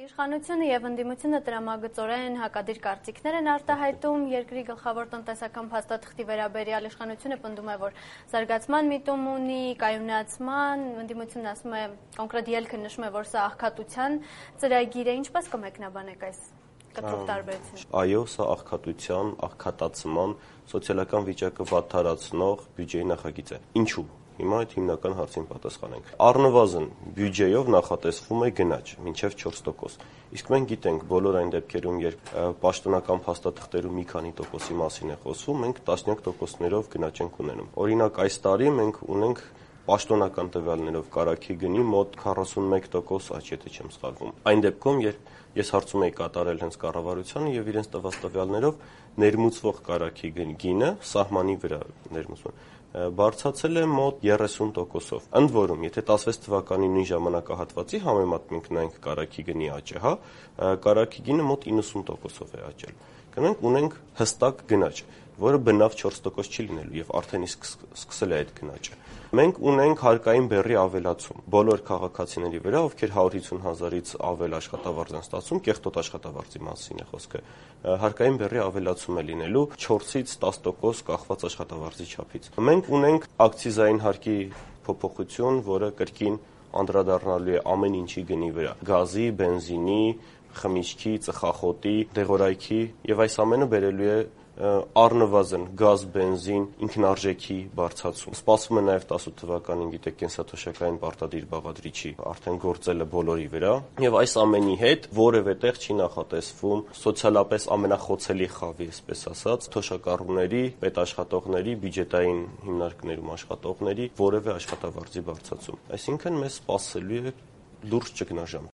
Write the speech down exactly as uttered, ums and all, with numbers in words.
Իշխանությունը եւ ընդդիմությունը տրամագծորեն հակադիր կարծիքներ են արտահայտում երկրի գլխավոր տնտեսական փաստաթղթի վերաբերյալ։ Իշխանությունը պնդում է, որ զարգացման միտում ունի, կայունացման, ընդդիմությունն ասում է կոնկրետ ելքը նշում է, որ սա աղքատության ծրագիր է։ Ինչպես կմեկնաբանեք այս կտրուկ տարբերությունը։ Այո, սա աղքատության, աղքատացման, սոցիալական վիճակը վատթարացնող բյուջեի նախագիծ է։ Ինչու՞։ Հիմա այդ հիմնական հարցին պատասխանենք։ Առնվազն բյուջեով նախատեսվում է գնաճ մինչև չորս տոկոս։ Իսկ մենք գիտենք բոլոր այն դեպքերում, երբ պաշտոնական փաստաթղթերում մի քանի տոկոսի մասին է խոսվում, մենք տասնյակ տոկոսներով գնաճ ենք ունենում։ Օրինակ այս տարի մենք ունենք պաշտոնական տվյալներով կարագի գնի մոտ քառասունմեկ տոկոս աճ, եթե չեմ սխալվում։ Այն դեպքում, երբ ես հարցում էի կատարել հենց կառավարությանը եւ իրենց տված տվյալներով ներմուծվող կարագի գինը սահմանի վրա ներմուծվում բարձրացել է մոտ երեսուն տոկոսով։ Ընդ որում, եթե տասվեց թվականի նույն ժամանակահատվածի համեմատենք նայենք կարագի գնի աճը, հա, կարագի գինը մոտ իննսուն տոկոսով է աճել։ Կնենք ունենք հստակ գնաճ, որը բնավ չորս տոկոս չի լինելու եւ արդեն իսկ սկսել է այդ գնաճը։ Մենք ունենք հարկային բեռի ավելացում բոլոր քաղաքացիների վրա, ովքեր հարյուր հիսուն հազարից ավել աշխատավարձ են ստացում, կեղտոտ աշխատավարձի մասին է խոսքը։ Հարկային բեռի ավելացում է լինելու չորսից տասը տոկոս կախված աշխատավարձի չափից։ Մենք ունենք ակցիզային հարկի փոփոխություն, որը կրկին անդրադառնալու է ամեն ինչի գնի վրա՝ գազի, բենզինի, խմիչքի, ծխախոտի, դեղորայքի, եւ այս ամենը բերելու է առնվազն գազ, բենզին, ինքնարժեքի բարձրացում։ Սպասվում է նաև տասութ թվականին, գիտեք, կենսաթոշակային պարտադիր բաղադրիչի արդեն գործելը բոլորի վրա, եւ այս ամենի հետ որևէ տեղ չի նախատեսվում սոցիալապես ամենախոցելի խավի, այսպես ասած, թոշակառուների, պետաշխատողների, բյուջետային հիմնարկներում աշխատողների որևէ աշխատավարձի բարձրացում։ Այսինքն մեզ սպասելու է դուրս ճգնաժամ։